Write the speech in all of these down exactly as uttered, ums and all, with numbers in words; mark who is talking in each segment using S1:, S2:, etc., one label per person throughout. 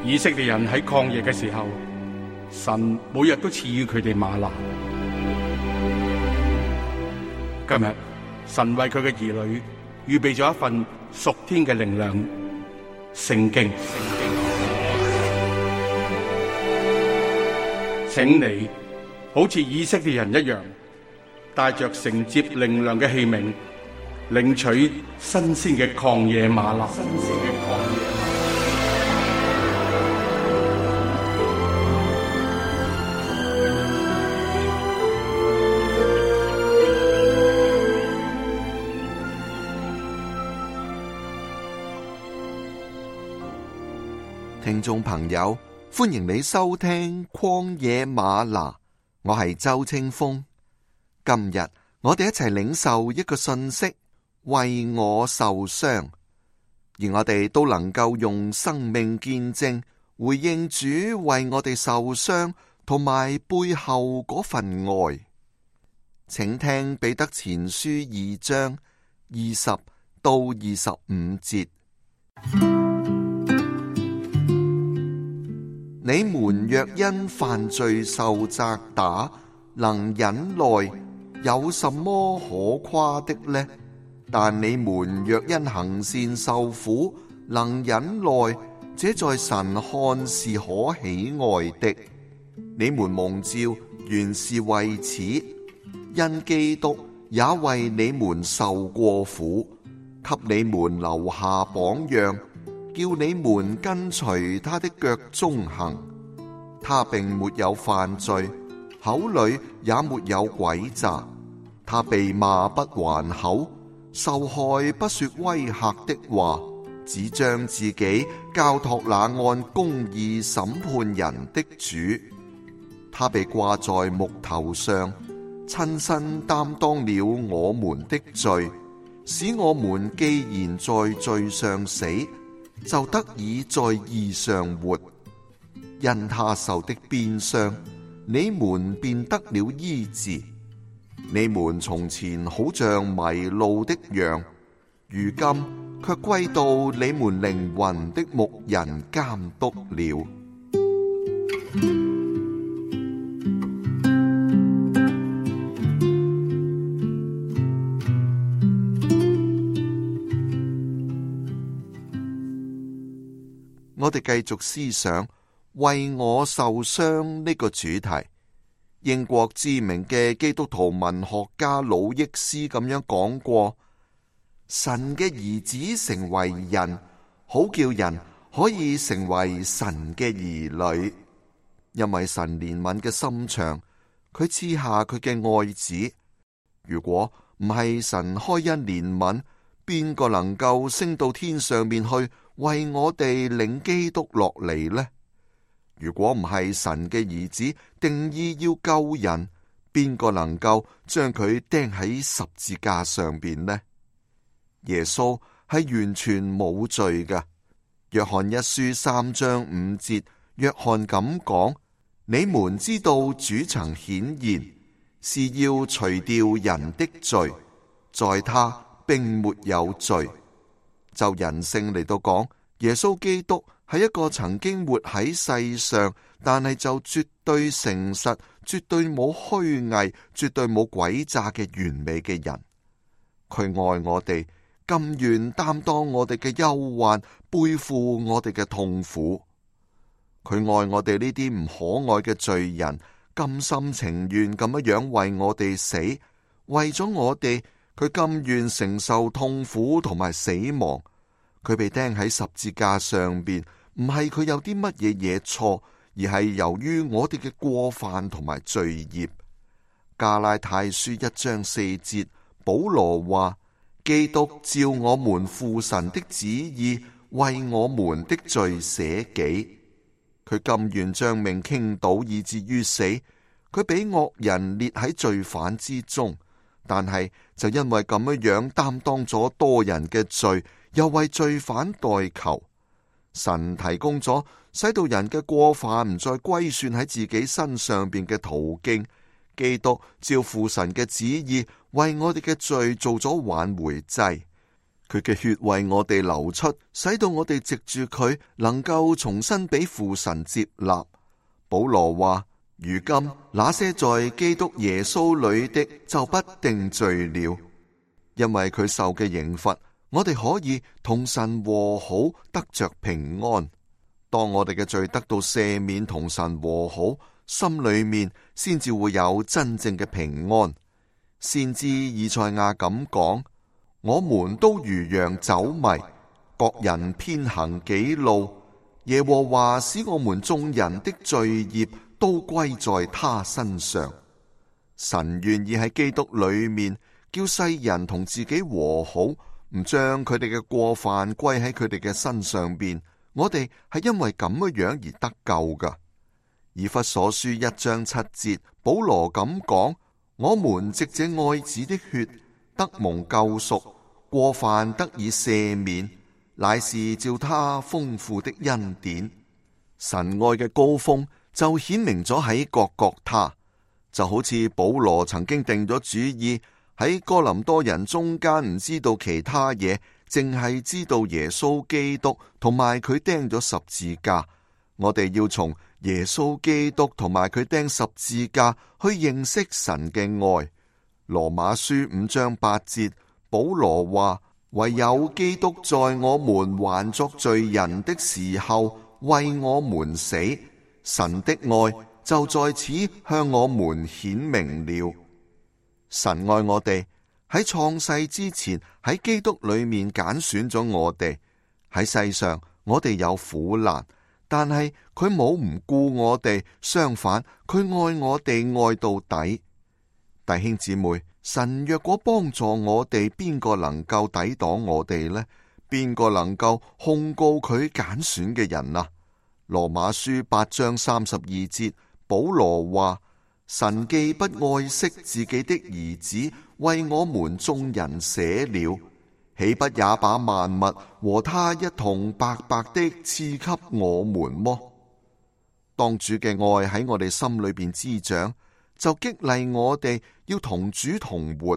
S1: 以色列人喺曠野嘅時候，神每日都賜予佢哋嗎哪。今日神為佢嘅兒女預備咗一份屬天嘅靈糧——聖經。請你好似以色列人一樣，帶着承接靈糧嘅器皿，領取新鮮嘅曠野嗎哪。新鮮嘅曠野嗎哪。
S2: 聽眾朋友，歡迎你收聽曠野嗎哪，我係周清風。今日我哋一齊領受一個信息，為我受傷，而我哋都能夠用生命見證回應主為我哋受傷同埋背後嗰份愛。請聽彼得前書二章二十到二十五節。你們若因犯罪受責打，能忍耐，有什麼可誇的呢？但你們若因行善受苦，能忍耐，這在神看是可喜愛的。你們蒙召原是為此，因基督也為你們受過苦，給你們留下榜樣，叫你們跟隨他的腳蹤行。他並沒有犯罪，口裏也沒有詭詐。他被罵不還口，受害不說威嚇的話，只將自己交託那按公義審判人的主。他被掛在木頭上，親身擔當了我們的罪，使我們既然在罪上死，就得以在義上活。因他受的鞭傷，你們便得了醫治。你們從前好像迷路的羊，如今卻歸到你們靈魂的牧人監督了。我哋繼續思想為我受傷呢個主題。英國知名嘅基督徒文學家魯益斯咁樣講過：神嘅兒子成為人，好叫人可以成為神嘅兒女。因為神憐憫嘅心腸，佢賜下佢嘅愛子。如果唔係神開恩憐憫，邊個能夠升到天上面去為我哋領基督落嚟呢？如果唔係神嘅兒子定意要救人，邊個能夠將佢釘喺十字架上邊呢？耶穌係完全冇罪㗎。約翰一書三章五節，約翰咁講：你們知道主曾顯現，是要除掉人的罪，在他並沒有罪。就人性嚟到講，耶穌基督係一個曾經活喺世上，但係就絕對誠實、絕對冇虛偽、絕對冇詭詐嘅完美嘅人。佢愛我哋，甘願擔當我哋嘅憂患，背負我哋嘅痛苦。佢愛我哋呢啲唔可愛嘅罪人，甘心情願咁樣樣為我哋死，為咗我哋，佢甘願承受痛苦同埋死亡。佢被釘喺十字架上邊，唔係佢有啲乜嘢嘢錯，而係由於我哋嘅過犯同埋罪孽。加拉太書一章四節，保羅話：基督照我們父神的旨意，為我們的罪捨己。佢甘願將命傾倒，以至於死。佢俾惡人列喺罪犯之中，但係就因為咁樣樣擔當咗多人嘅罪，又為罪犯代求。神提供咗使到人嘅過犯唔再歸算喺自己身上邊嘅途徑。基督照父神嘅旨意，為我哋嘅罪做咗挽回祭。佢嘅血為我哋流出，使到我哋藉住佢能夠重新俾父神接納。保羅話：如今那些在基督耶穌裏的就不定罪了，因為佢受嘅刑罰，我哋可以同神和好，得着平安。當我哋嘅罪得到赦免，同神和好，心裏面先至會有真正嘅平安。先知以賽亞咁講：我們都如羊走迷，各人偏行己路，耶和華使我們眾人的罪孽都歸在他身上。神願意喺基督裏面叫世人同自己和好，唔將佢哋嘅過犯歸喺佢哋嘅身上邊。我哋係因為咁嘅樣而得救噶。以弗所書一章七節，保羅咁講：我們藉這愛子的血得蒙救贖，過犯得以赦免，乃是照他豐富的恩典。神愛嘅高峰就顯明咗喺各各他，就好似保羅曾經定咗主意喺哥林多人中間唔知道其他嘢，淨係知道耶穌基督同埋佢釘咗十字架。我哋要從耶穌基督同埋佢釘十字架去認識神嘅愛。羅馬書五章八節，保羅話：唯有基督在我們還作罪人的時候為我們死，神的愛就在此向我們顯明了。神愛我哋，喺創世之前喺基督裏面揀選咗我哋。喺世上我哋有苦難，但係佢冇唔顧我哋，相反佢愛我哋愛到底。弟兄姊妹，神若果幫助我哋，邊個能夠抵擋我哋呢？邊個能夠控告佢揀選嘅人啊？羅馬書八章三十二節，保羅話：神既不愛惜自己的兒子，為我們眾人捨了，豈不也把萬物和他一同白白的賜給我們麼？當主嘅愛喺我哋心裏邊滋長，就激勵我哋要同主同活。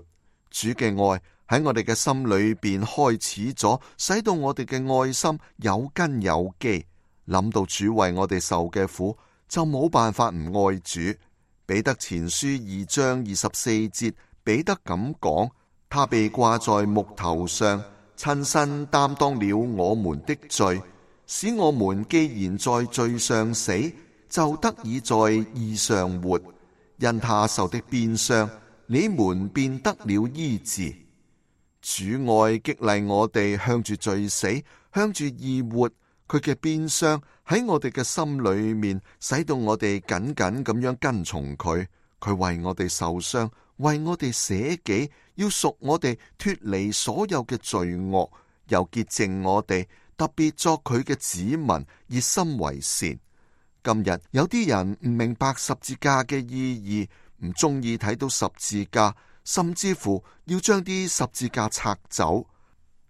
S2: 主嘅愛喺我哋嘅心裏邊開始咗，使到我哋嘅愛心有根有基。諗到主為我哋受嘅苦，就冇辦法唔愛主。彼得前書二章二十四節，彼得咁講：他被掛在木頭上，親身擔當了我們的罪，使我們既然在罪上死，就得以在義上活。因他受的鞭傷，你們便得了醫治。主愛激勵我哋向住罪死，向住義活。佢嘅鞭傷喺我哋嘅心裏面，使到我哋緊緊咁樣跟從佢。佢為我哋受傷，為我哋捨己，要贖我哋脫離所有嘅罪惡，又潔淨我哋，特別作佢嘅子民，熱心為善。今日有啲人唔明白十字架嘅意義，唔中意睇到十字架，甚至乎要將啲十字架拆走。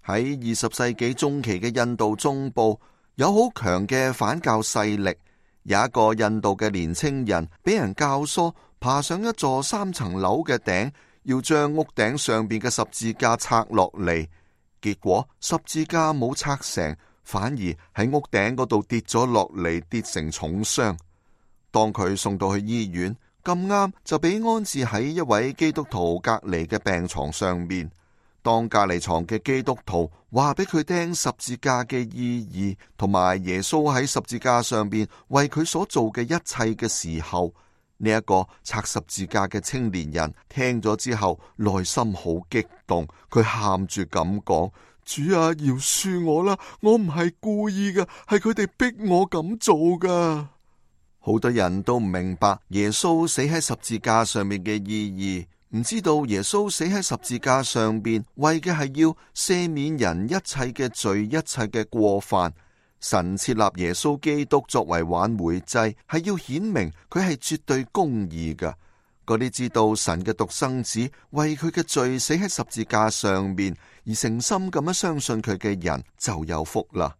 S2: 喺二十世紀中期嘅印度中部，有好強嘅反教勢力。有一個印度嘅年青人俾人教唆爬上一座三層樓嘅頂，要將屋頂上邊嘅十字架拆落嚟。結果十字架冇拆成，反而喺屋頂嗰度跌咗落嚟，跌成重傷。當佢送到去醫院，咁啱就俾安置喺一位基督徒隔離嘅病床上面。當隔離床嘅基督徒話俾佢聽十字架嘅意義，同埋耶穌喺十字架上邊為佢所做嘅一切嘅時候，呢一個拆十字架嘅青年人聽咗之後，內心好激動，佢喊住咁講：主啊，饒恕我啦，我唔係故意噶，係佢哋逼我咁做噶。好多人都唔明白耶穌死喺十字架上面嘅意義。唔知道耶穌死喺十字架上邊，為嘅係要赦免人一切嘅罪，一切嘅過犯。神設立耶穌基督作為挽回祭，係要顯明佢係絕對公義嘅。嗰啲知道神嘅獨生子為佢嘅罪死喺十字架上邊，而誠心咁樣相信佢嘅人就有福啦。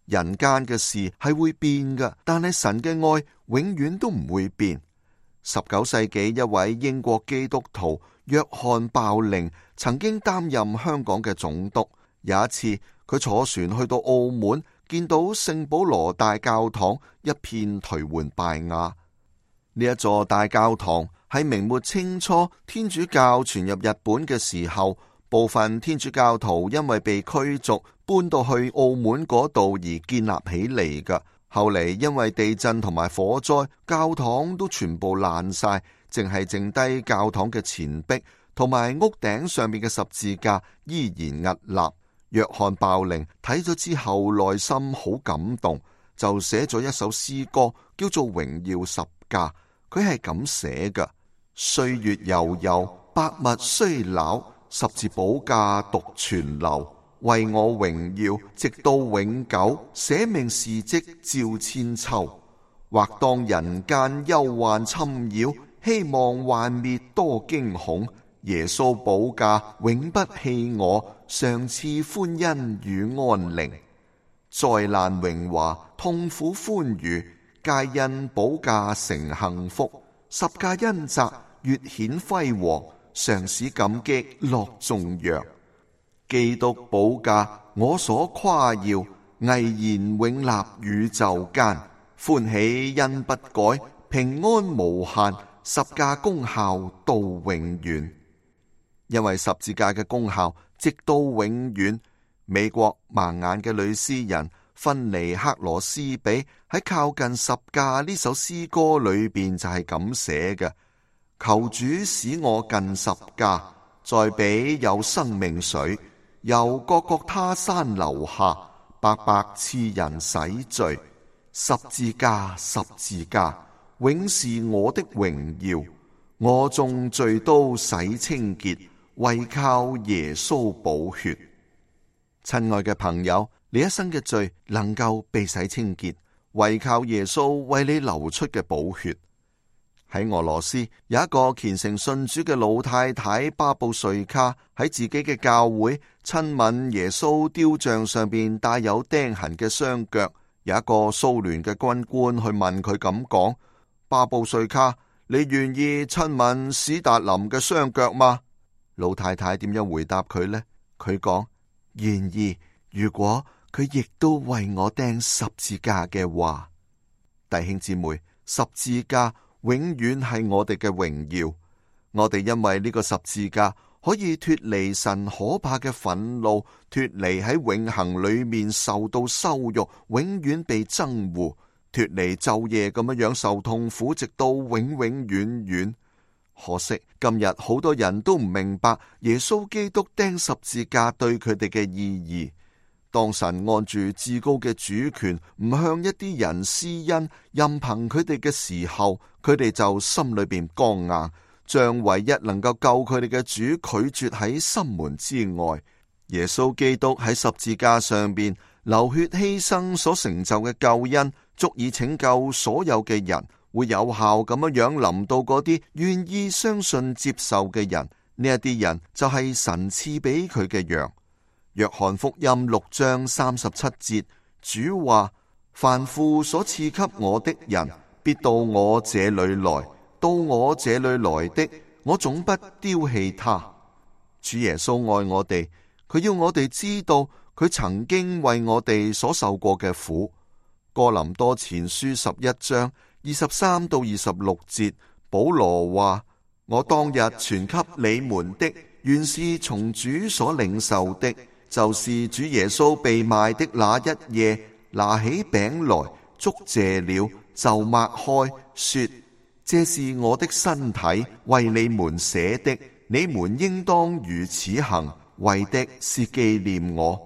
S2: 人間嘅事係會變㗎，但係神嘅愛永遠都唔會變。十九世紀一位英國基督徒約翰鮑寧曾經擔任香港嘅總督。有一次，佢坐船去到澳門，見到聖保羅大教堂一片頹垣敗瓦。呢一座大教堂喺明末清初天主教傳入日本嘅時候，部分天主教徒因為被驅逐，搬到去澳門嗰度而建立起嚟㗎。後嚟因為地震同埋火災，教堂都全部爛晒，淨係剩低教堂嘅前壁同埋屋頂上面嘅十字架依然屹立。約翰鮑靈睇咗之後，內心好感動，就寫咗一首詩歌，叫做《榮耀十架》。佢係咁寫嘅：歲月悠悠，百物衰老，十字寶架獨存留。為我榮耀，直到永久，捨命事蹟照千秋。或當人間憂患侵擾，希望幻滅多驚恐。耶穌寶架永不棄我，常賜歡欣與安寧。災難榮華，痛苦歡愉，皆因寶架成幸福。十架恩澤越顯輝煌，常使感激樂頌揚。基督寶架我所誇耀，毅然永立宇宙間。歡喜恩不改，平安無限，十架功效到永遠。因為十字架嘅功效直到永遠。美國盲眼嘅女詩人芬尼克羅斯比喺靠近十架呢首詩歌裏邊就係咁寫嘅：求主使我近十架，在彼有生命水，由各各他山流下，白白賜人洗罪。十字架，十字架，永是我的榮耀。我眾罪都洗清潔，唯靠耶穌寶血。親愛嘅朋友，你一生嘅罪能夠被洗清潔，唯靠耶穌為你流出嘅寶血。喺俄羅斯有一個虔誠信主嘅老太太巴布瑞卡，喺自己嘅教會親吻耶穌雕像上邊帶有釘痕嘅雙腳。有一個蘇聯嘅軍官去問佢咁講：巴布瑞卡，你願意親吻史達林嘅雙腳嗎？老太太點樣回答佢呢？佢講：願意，如果佢亦都為我釘十字架嘅話。弟兄姊妹，十字架永遠係我哋嘅榮耀。我哋因為呢個十字架可以脫離神可怕嘅憤怒，脫離喺永恆裏面受到羞辱，永遠被憎惡，脫離晝夜咁樣樣受痛苦，直到永永遠遠。可惜今日好多人都唔明白耶穌基督釘十字架對佢哋嘅意義。當神按住至高嘅主權唔向一啲人施恩，任憑佢哋嘅時候，佢哋就心裏邊剛硬，將唯一能夠救佢哋嘅主拒絕喺心門之外。耶穌基督喺十字架上邊流血犧牲所成就嘅救恩，足以拯救所有嘅人，會有效咁樣樣臨到嗰啲願意相信接受嘅人。呢一啲人就係神賜俾佢嘅羊。約翰福音六章三十七節，主話：凡父所賜給我的人，必到我這裏來。到我這裏來的，我總不丟棄他。主耶穌愛我哋，佢要我哋知道佢曾經為我哋所受過嘅苦。哥林多前書十一章二十三到二十六節，保羅話：我當日傳給你們的，原是從主所領受的，就是主耶穌被賣的那一夜，拿起餅來，祝謝了，就擘開，說：這是我的身體，為你們捨的，你們應當如此行，為的是紀念我。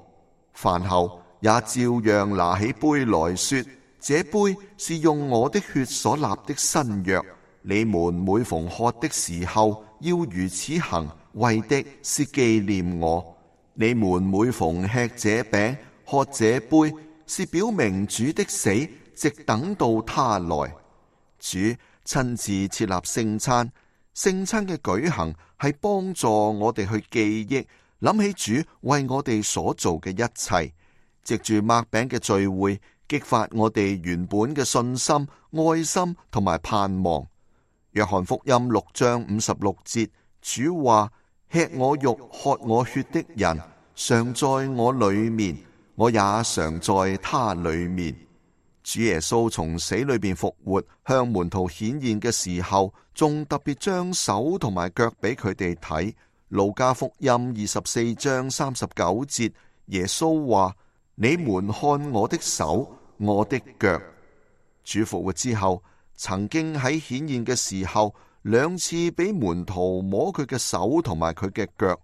S2: 飯後也照樣拿起杯來說：這杯是用我的血所立的新約，你們每逢喝的時候，要如此行，為的是紀念我。你們每逢吃這餅、喝這杯，是表明主的死，直等到他來。主親自設立聖餐，聖餐嘅舉行係幫助我哋去記憶，諗起主為我哋所做嘅一切，藉住擘餅嘅聚會，激發我哋原本嘅信心、愛心同埋盼望。約翰福音六章五十六節，主話：吃我肉、喝我血的人，常在我裏面，我也常在他裏面。主耶穌從死裏邊復活，向門徒顯現嘅時候，仲特別將手同埋腳俾佢哋睇。路加福音二十四章三十九節，耶穌話：你們看我的手，我的腳。主復活之後，曾經喺顯現嘅時候，兩次俾門徒摸佢嘅手同埋佢嘅腳，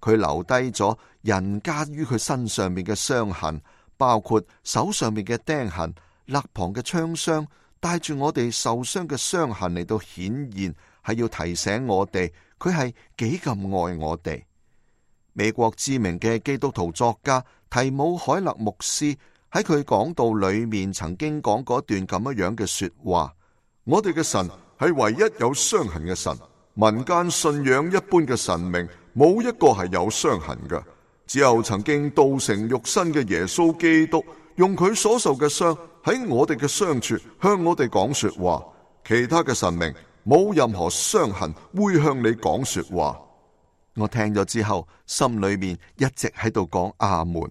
S2: 佢留低咗人加於佢身上面嘅傷痕，包括手上面嘅釘痕、肋旁嘅槍傷，帶住我哋受傷嘅傷痕嚟到顯現，係要提醒我哋佢係幾咁愛我哋。美國知名嘅基督徒作家提姆海勒牧師喺佢講道裏面曾經講過一段咁樣嘅說話：我哋嘅神係唯一有傷痕嘅神，民間信仰一般嘅神明冇一個係有傷痕嘅，只有曾經道成肉身嘅耶穌基督，用佢所受嘅傷喺我哋嘅傷處向我哋講說話。其他嘅神明冇任何傷痕會向你講說話。我聽咗之後，心裏面一直喺度講阿門。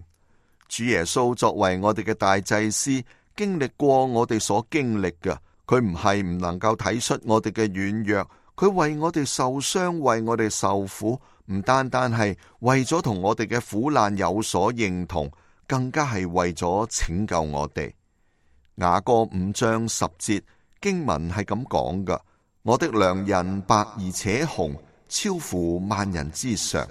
S2: 主耶穌作為我哋嘅大祭司，經歷過我哋所經歷嘅，佢唔係唔能夠睇出我哋嘅軟弱，佢為我哋受傷，為我哋受苦，唔單單係為咗同我哋嘅苦難有所認同，更加係為咗拯救我哋。雅歌五章十節經文係咁講噶：我的良人白而且紅，超乎萬人之上。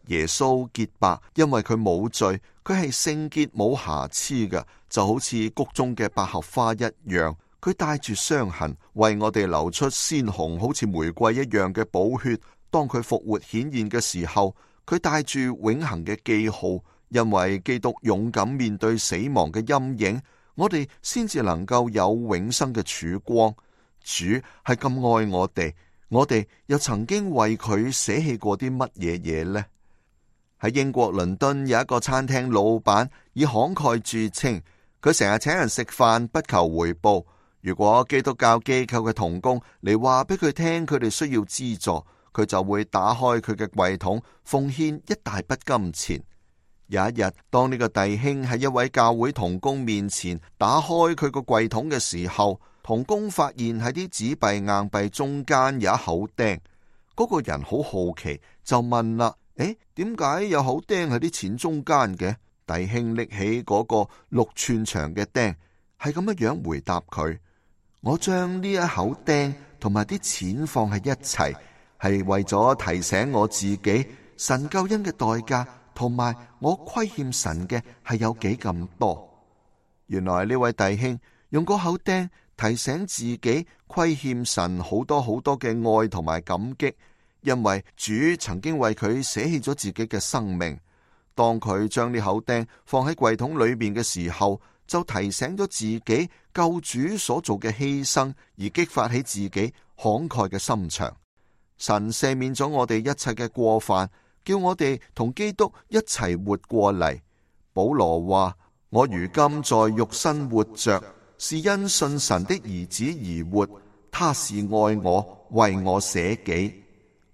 S2: 耶穌潔白，因為佢冇罪，佢係聖潔冇瑕疵嘅，就好似谷中嘅百合花一樣。佢帶住傷痕，為我哋流出鮮紅，好似玫瑰一樣嘅寶血。當佢復活顯現嘅時候，佢帶住永恆嘅記號，因為基督勇敢面對死亡嘅陰影，我哋先至能夠有永生嘅曙光。主係咁愛我哋，我哋又曾經為佢捨棄過啲乜嘢嘢呢？喺英國倫敦有一個餐廳老闆以慷慨著稱，佢成日請人食飯不求回報。如果基督教機構嘅同工嚟話俾佢聽佢哋需要資助，佢就會打開佢嘅櫃桶，奉獻一大筆金錢。有一日，當呢個弟兄喺一位教會同工面前打開佢個櫃桶嘅時候，同工發現喺啲紙幣硬幣中間有一口釘。嗰個人好好奇，就問啦：誒，點解有口釘喺啲錢中間嘅？弟兄拎起嗰個六寸長嘅釘，係咁樣樣回答佢：我將呢一口釘同埋啲錢放喺一齊，係為咗提醒我自己神救恩嘅代價，同埋我虧欠神嘅係有幾咁多。原來呢位弟兄用嗰口釘提醒自己虧欠神好多好多嘅愛同埋感激，因為主曾經為佢捨棄咗自己嘅生命。當佢將呢口釘放喺櫃桶裏面嘅時候，就提醒咗自己救主所做嘅犧牲，而激發起自己慷慨嘅心腸。神赦免咗我哋一切嘅過犯，叫我哋同基督一齊活過嚟。保羅話：我如今在肉身活着，是因信神的兒子而活，他是愛我，為我捨己。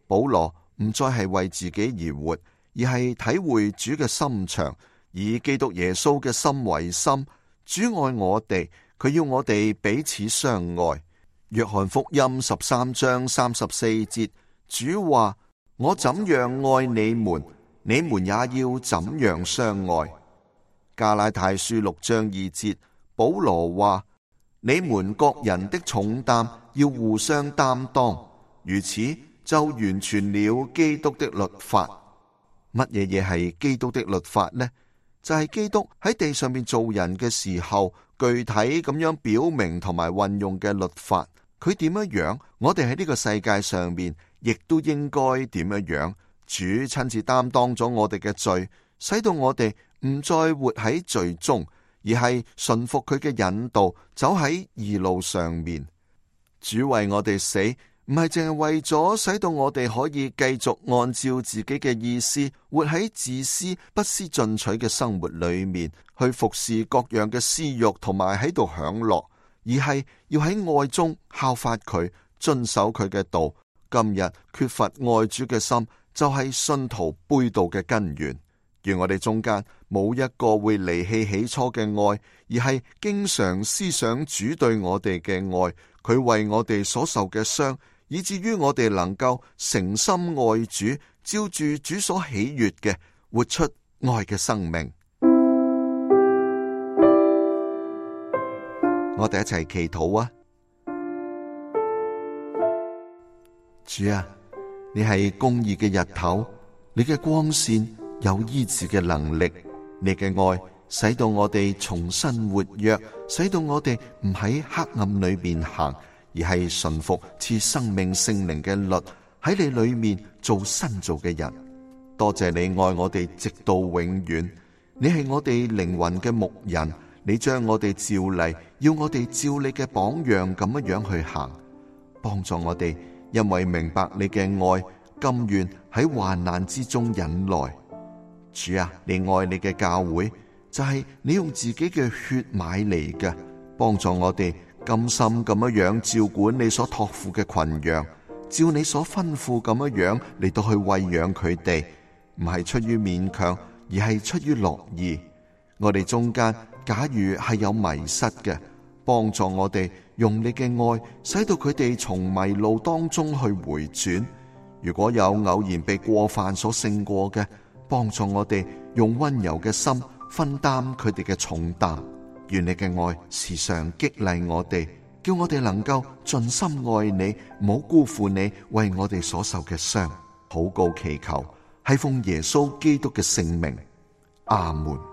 S2: 保羅唔再係為自己而活，而係體會主嘅心腸，以基督耶穌嘅心為心。主愛我哋，佢要我哋彼此相愛。約翰福音十三章三十四節，主話：我怎樣愛你們，你們也要怎樣相愛。加拉太書六章二節，保羅話：你們各人的重擔要互相擔當，如此就完全了基督的律法。乜嘢嘢係基督的律法呢？就係基督喺地上面做人嘅時候，具體咁樣表明同埋運用嘅律法。佢點樣樣，我哋喺呢個世界上面亦都應該點樣樣。主親自擔當咗我哋嘅罪，使到我哋唔再活喺罪中，而係順服佢嘅引導，走喺義路上面。主為我哋死，唔係淨係為咗使到我哋可以繼續按照自己嘅意思，活喺自私不思進取嘅生活裏面，去服侍各樣嘅私欲，同埋喺度享樂，而係要喺愛中效法佢，遵守佢嘅道。今日缺乏愛主嘅心，就係信徒背道嘅根源。願我哋中間冇一個會離棄起初嘅愛，而係經常思想主對我哋嘅愛，佢為我哋所受嘅傷，以至於我哋能夠誠心愛主，照住主所喜悅嘅，活出愛嘅生命。我哋一齊祈禱啊！主啊，你係公義嘅日頭，你嘅光線有醫治嘅能力，你嘅愛使到我哋重新活躍，使到我哋唔喺黑暗裏面行，而係順服賜生命聖靈嘅律，喺你裏面做新造嘅人。多謝你愛我哋直到永遠，你係我哋靈魂嘅牧人，你將我哋召嚟，要我哋照你嘅榜樣咁樣樣去行，幫助我哋，因為明白你嘅愛，甘願喺患難之中忍耐。主啊，你愛你嘅教會，就係你用自己嘅血買嚟嘅，幫助我哋甘心咁樣樣照管你所託付嘅群羊，照你所吩咐咁樣樣嚟到去餵養佢哋，唔係出於勉強，而係出於樂意。我哋中間假如係有迷失嘅，幫助我哋用你嘅愛，使到佢哋從迷路當中去回轉。如果有偶然被過犯所勝過嘅，幫助我哋用溫柔嘅心分擔佢哋嘅重擔。願你嘅愛時常激勵我哋，叫我哋能夠盡心愛你，唔好辜負你為我哋所受嘅傷。禱告祈求係奉耶穌基督嘅聖名，阿門。